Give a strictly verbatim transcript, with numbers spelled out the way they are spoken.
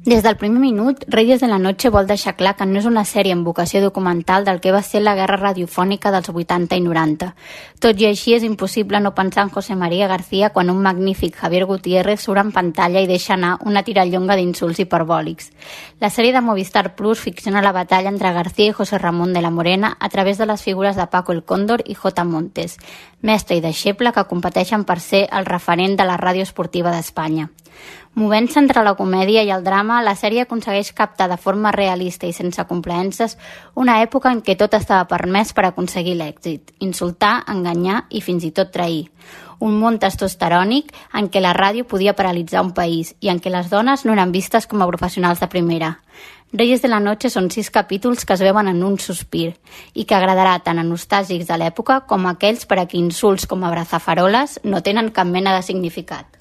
Des del primer minut, Reyes de la Noche vol deixar clar que no és una sèrie amb vocació documental del que va ser la guerra radiofònica dels vuitanta i noranta. Tot i així, és impossible no pensar en José María García quan un magnífic Javier Gutiérrez surt en pantalla i deixa anar una tirallonga d'insults hiperbòlics. La sèrie de Movistar Plus ficciona la batalla entre García i José Ramón de la Morena a través de les figures de Paco el Cóndor i J. Montes, mestre i deixeble que competeixen per ser el referent de la ràdio esportiva d'Espanya. Movent-se entre la comèdia i el drama, la sèrie aconsegueix captar de forma realista i sense complaences una època en què tot estava permès per aconseguir l'èxit: insultar, enganyar i fins i tot trair. Un món testosterònic en què la ràdio podia paralitzar un país i en què les dones no eren vistes com a professionals de primera. Reyes de la Noche són sis capítols que es veuen en un sospir i que agradarà tant a nostàlgics de l'època com a aquells per a qui insults com abrazafaroles no tenen cap mena de significat.